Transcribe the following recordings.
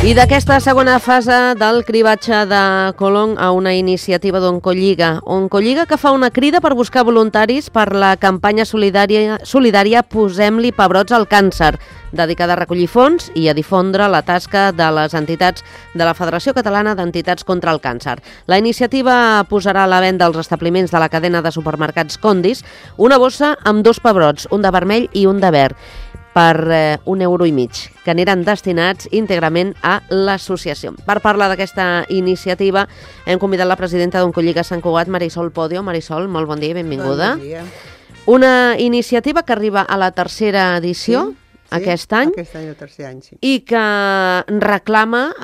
I d'aquesta segona fase del cribatge de Colom a una iniciativa d'Oncolliga. Oncolliga que fa una crida per buscar voluntaris per la campanya solidària Posem-li pebrots al càncer, dedicada a recollir fons i a difondre la tasca de les entitats de la Federació Catalana d'Entitats contra el Càncer. La iniciativa posarà a la venda als establiments de la cadena de supermercats Condis una bossa amb 2 pebrots, un de vermell i un de verd, per €1,50, que aniran destinats íntegrament a l'associació. Per parlar d'aquesta iniciativa hem convidat la presidenta d'Oncolliga Sant Cugat, Marisol Podio. Marisol, molt bon dia i benvinguda. Bon dia. Una iniciativa que arriba a la tercera edició aquest any. Aquest any el tercer any, sí. I que reclama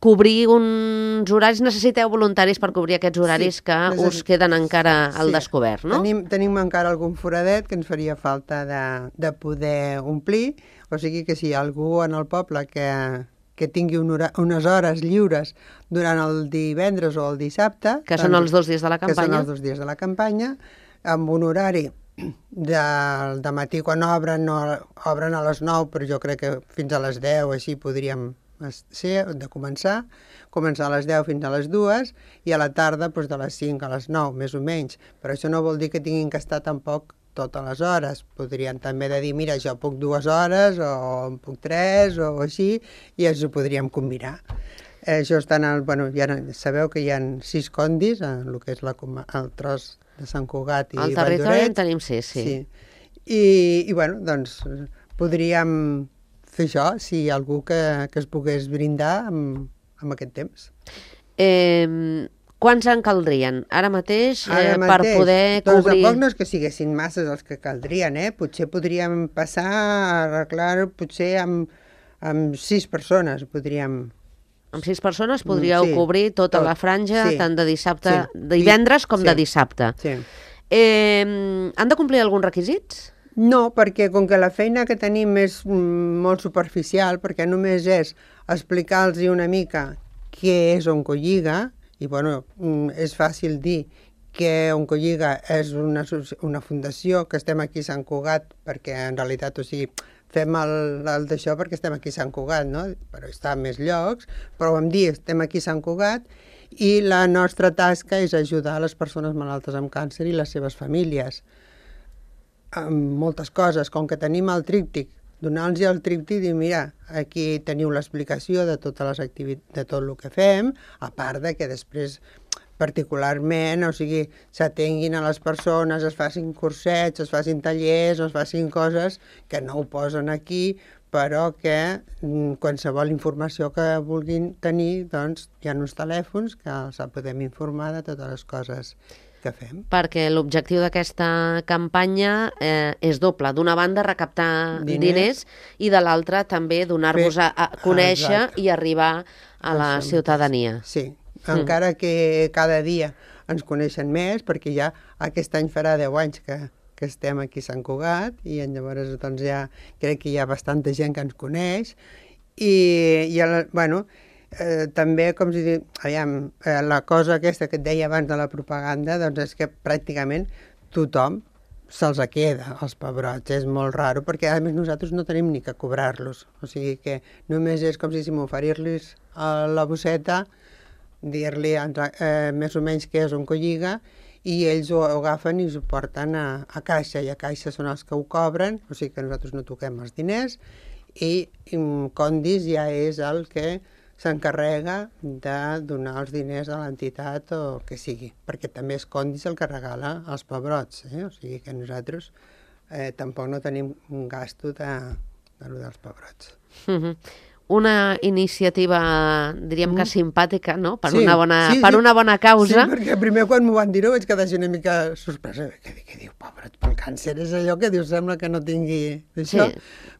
cobrir uns horaris. Necessiteu voluntaris per cobrir aquests horaris que us queden encara al descobert, no? Tenim encara algun foradet que ens faria falta de poder omplir, o sigui que si hi ha algú en el poble que tingui unes hores lliures durant el divendres o el dissabte... Que són els 2 dies de la campanya. Que són els 2 dies de la campanya, amb un horari de matí quan obren a les 9, però jo crec que fins a les 10 així podríem de començar a les 10 fins a les 2 i a la tarda doncs, de les 5 a les 9, més o menys. Però això no vol dir que tinguin que estar tampoc totes les hores. Podrien també dir, mira, jo puc 2 hores o en puc 3 o així, i ens ho podríem combinar. Això està ja sabeu que hi ha 6 condis, en el que és el tros de Sant Cugat i Valldoreix. Al territori en tenim 6, sí. I doncs, podríem fer això, si hi ha algú que es pogués brindar amb aquest temps. Quants en caldrien? Ara mateix, per poder cobrir... Doncs tampoc no és que siguessin masses els que caldrien, Potser podríem passar a arreglar, potser amb 6 persones podríem... Amb 6 persones podríeu cobrir tota la franja, tant de dissabte, de divendres com de dissabte. Sí. Han de complir alguns requisits? No, perquè com que la feina que tenim és molt superficial, perquè només és explicar-los una mica què és Oncolliga, i és fàcil dir que Oncolliga és una fundació, que estem aquí a Sant Cugat, perquè en realitat, fem el d'això perquè estem aquí a Sant Cugat, no? Però està a més llocs, però vam dir, estem aquí a Sant Cugat i la nostra tasca és ajudar les persones malaltes amb càncer i les seves famílies. Amb moltes coses, com que tenim el tríptic, donar-los el tríptic i dir, mira, aquí teniu l'explicació de tot el que fem, a part de que després particularment, s'atenguin a les persones, es facin cursets, es facin tallers, es facin coses que no ho posen aquí, però que qualsevol informació que vulguin tenir, doncs hi ha uns telèfons que els podem informar de totes les coses que fem. Perquè l'objectiu d'aquesta campanya és doble. D'una banda, recaptar diners i de l'altra també donar-vos a conèixer i arribar a la ciutadania. Sí. Encara que cada dia ens coneixen més, perquè ja aquest any farà 10 anys que estem aquí a Sant Cugat i llavors doncs ja crec que hi ha bastanta gent que ens coneix i també, com si diu, la cosa aquesta que et deia abans de la propaganda, doncs és que pràcticament tothom se'ls queda, els pebrots. És molt raro, perquè a més nosaltres no tenim ni que cobrar-los. O sigui que només és com si m'oferir-los la bosseta, dir-li més o menys què és Oncolliga, i ells ho agafen i ho porten a caixa, i a caixa són els que ho cobren, o sigui que nosaltres no toquem els diners, i Condis ja és el que s'encarrega de donar els diners a l'entitat o que sigui, perquè també és Condis el que regala els pebrots, o sigui que nosaltres tampoc no tenim un gasto dels pebrots. Una iniciativa, diríem que simpàtica, no? Per una bona causa. Sí, perquè primer quan m'ho van dir vaig quedar una mica sorpresa. Què diu, pebrots pel càncer? És allò que diu, sembla que no tingui això.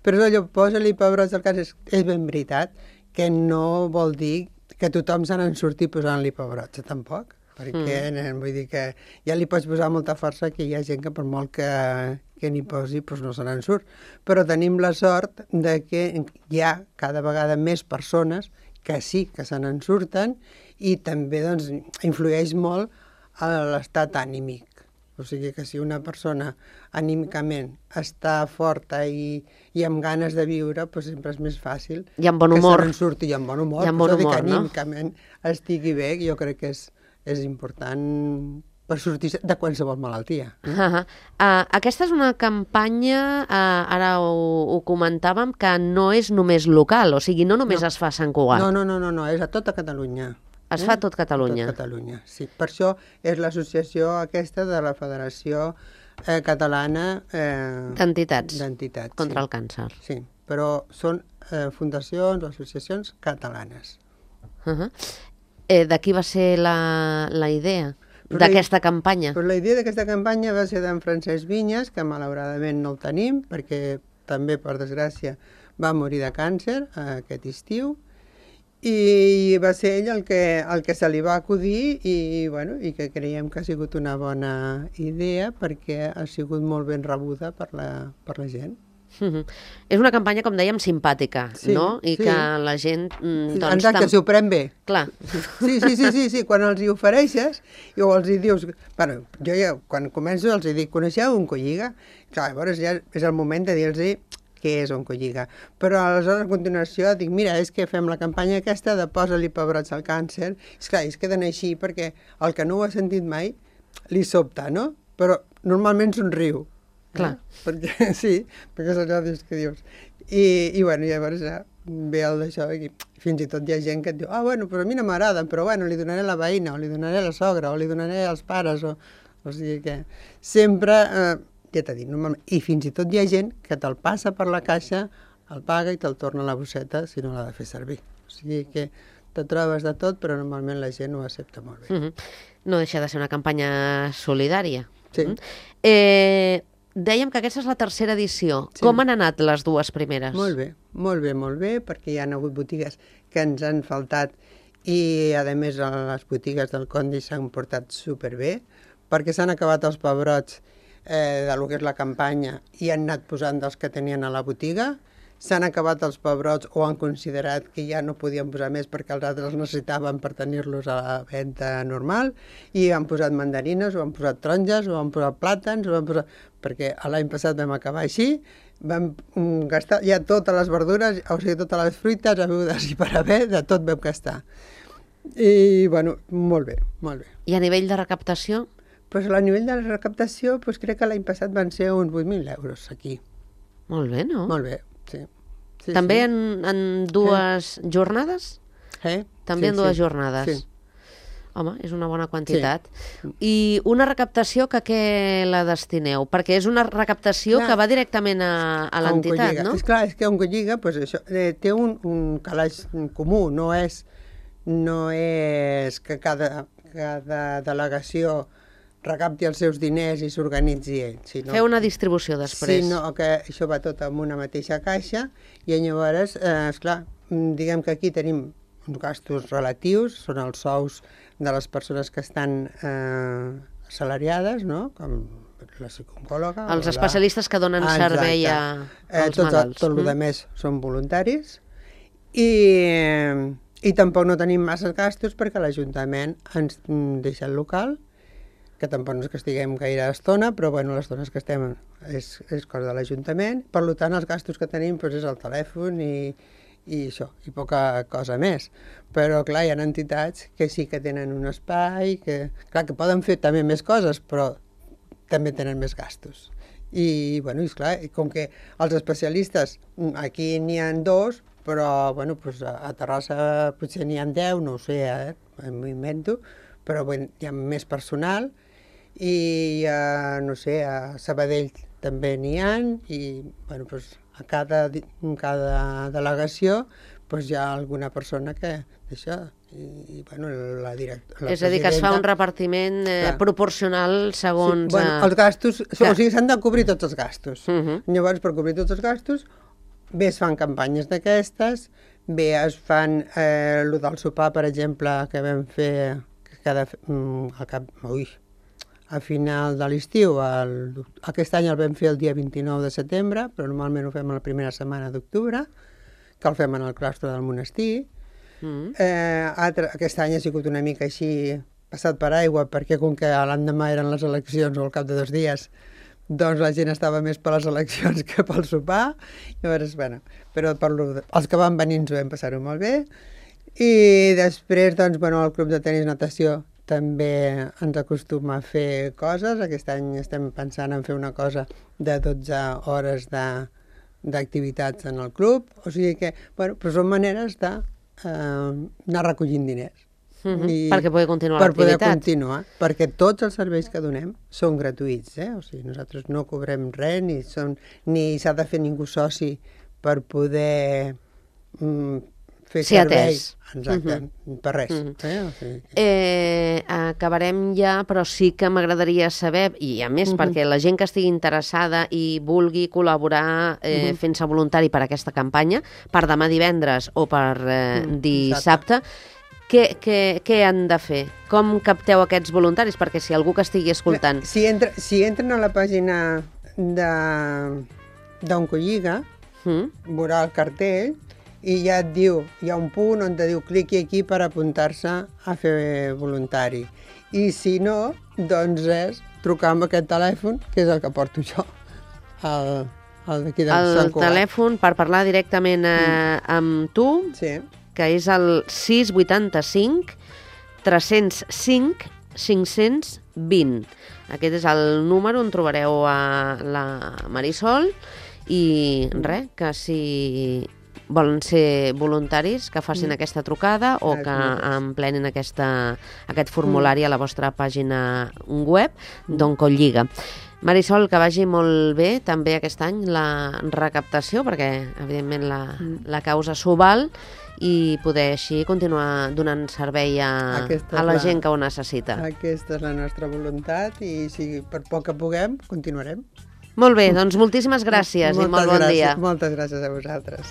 Però és allò, posa-li pebrots al càncer. És ben veritat que no vol dir que tothom se n'en surti posant-li pebrots, tampoc. Perquè vull dir que ja li pots posar molta força, que hi ha gent que per molt que n'hi posi doncs no se n'en surt. Però tenim la sort de que hi ha cada vegada més persones que sí que se n'en surten i també doncs, influeix molt a l'estat ànimic O sigui que si una persona anímicament està forta i amb ganes de viure, doncs sempre és més fàcil I amb bon humor. que se n'en surti, i amb bon humor. I amb bon humor, que no? anímicament estigui bé, jo crec que és important per sortir de qualsevol malaltia. Aquesta és una campanya, ara ho comentàvem, que no és només local, o sigui, no només es fa a Sant Cugat. No, és a tota Catalunya. Es fa a tot Catalunya. Tot Catalunya, sí. Per això és l'associació aquesta de la Federació Catalana D'entitats sí. contra el càncer. Sí, però són fundacions o associacions catalanes. De qui va ser la idea d'aquesta campanya? Però la idea d'aquesta campanya va ser d'en Francesc Vinyes, que malauradament no el tenim, perquè també, per desgràcia, va morir de càncer aquest estiu, i va ser ell el que se li va acudir i que creiem que ha sigut una bona idea perquè ha sigut molt ben rebuda per la gent. És una campanya, com dèiem, simpàtica, sí, no? I sí. que la gent... Exacte, s'ho pren bé. Clar. Sí, quan els hi ofereixes o els hi dius... Bueno, jo ja, quan començo els hi dic, coneixeu Oncolliga? Clar, llavors ja és el moment de dir-los què és Oncolliga. Però aleshores, a continuació, dic, mira, és que fem la campanya aquesta de posa-li pebrots al càncer. És clar, es queden així perquè el que no ho ha sentit mai li sobta, no? Però normalment somriu. Clar. Perquè és allò que dius. I llavors ja ve el d'això i fins i tot hi ha gent que et diu però a mi no m'agraden, però li donaré a la veïna, o li donaré a la sogra, o li donaré als pares, o sigui que sempre... ja t'he dit, normalment, i fins i tot hi ha gent que te'l passa per la caixa, el paga i te'l torna a la bosseta si no l'ha de fer servir. O sigui que te trobes de tot, però normalment la gent ho accepta molt bé. No deixa de ser una campanya solidària. Sí. Dèiem que aquesta és la tercera edició. Sí. Com han anat les dues primeres? Molt bé, perquè hi ha hagut botigues que ens han faltat i, a més, les botigues del Condi s'han portat superbé, perquè s'han acabat els pebrots de lo que és la campanya i han anat posant dels que tenien a la botiga, s'han acabat els pebrots o han considerat que ja no podien posar més perquè els altres els necessitaven per tenir-los a la venda normal i han posat mandarines, o han posat taronges, o han posat plàtans, perquè l'any passat vam acabar així, vam gastar ja totes les verdures, o sigui, totes les fruites, begudes i per haver, de tot vam gastar. I, molt bé. I a nivell de recaptació? Pues a nivell de la recaptació, crec que l'any passat van ser uns 8.000 euros aquí. Molt bé, no? Molt bé, sí. També en dues jornades? També en dues jornades. Sí. Home, és una bona quantitat. Sí. I una recaptació que a què la destineu? Perquè és una recaptació que va directament a l'entitat, no? És clar, és que Oncolliga té un calaix comú, no és que cada delegació recapti els seus diners i s'organitzi ell. Feu una distribució després. Sinó que això va tot en una mateixa caixa i llavors, esclar, diguem que aquí tenim uns gastos relatius, són els sous de les persones que estan assalariades, no?, com la psicòloga... Els especialistes que donen servei als malalts. Tot el més són voluntaris i tampoc no tenim massa gastos perquè l'Ajuntament ens deixa el local, que tampoc no és que estiguem gaire estona, però les estones que estem és cosa de l'Ajuntament. Per tant, els gastos que tenim és el telèfon i això, i poca cosa més. Però, clar, hi ha entitats que sí que tenen un espai, que poden fer també més coses, però també tenen més gastos. I, esclar, com que els especialistes, aquí n'hi ha 2, però, a Terrassa potser n'hi ha 10, no ho sé, m'ho invento, però hi ha més personal i, no sé, a Sabadell també n'hi ha i, a cada delegació hi ha alguna persona que d'això, i la directora... És a dir, que es fa un repartiment proporcional segons... Sí, els gastos, o sigui, s'han de cobrir tots els gastos. Llavors, per cobrir tots els gastos, bé es fan campanyes d'aquestes, bé es fan el del sopar, per exemple, que vam fer a final de l'estiu. Aquest any el vam fer el dia 29 de setembre, però normalment ho fem a la primera setmana d'octubre, que el fem en el claustre del monestir. Aquest any ha sigut una mica així passat per aigua, perquè com que l'endemà eren les eleccions o al cap de 2 dies, doncs la gent estava més per les eleccions que pel sopar. Llavors, bueno, però els que van venir ens ho vam passar-ho molt bé. I després, doncs, bueno, el Club de Tenis Natació també ens acostuma a fer coses. Aquest any estem pensant en fer una cosa de 12 hores d'activitats en el club. O sigui que, bueno, però són maneres d'anar recollint diners. Perquè pugui continuar per l'activitat. poder continuar, perquè tots els serveis que donem són gratuïts, O sigui, nosaltres no cobrem res, ni s'ha de fer ningú soci per poder fer servei. Atès. Exacte, per res. O sigui Acabarem ja, però sí que m'agradaria saber, i a més perquè la gent que estigui interessada i vulgui col·laborar fent-se voluntari per aquesta campanya, per demà divendres o per dissabte, què han de fer? Com capteu aquests voluntaris? Perquè si algú que estigui escoltant... Si entren a la pàgina d'Oncolliga, veurà el cartell i ja et diu, hi ha un punt on te diu cliqui aquí per apuntar-se a fer voluntari. I si no, doncs és trucar amb aquest telèfon, que és el que porto jo, el d'aquí de Sant Cugat. El telèfon per parlar directament amb tu, Sí. que és el 685 305 520. Aquest és el número on trobareu a la Marisol i res, que si volen ser voluntaris, que facin aquesta trucada o que emplenin aquest formulari a la vostra pàgina web d'Oncolliga. Marisol, que vagi molt bé també aquest any la recaptació, perquè evidentment la causa s'ho val, i poder així continuar donant servei a la gent que ho necessita. Aquesta és la nostra voluntat i si per poc que puguem, continuarem. Molt bé, doncs moltíssimes gràcies i molt bon dia. Moltes gràcies a vosaltres.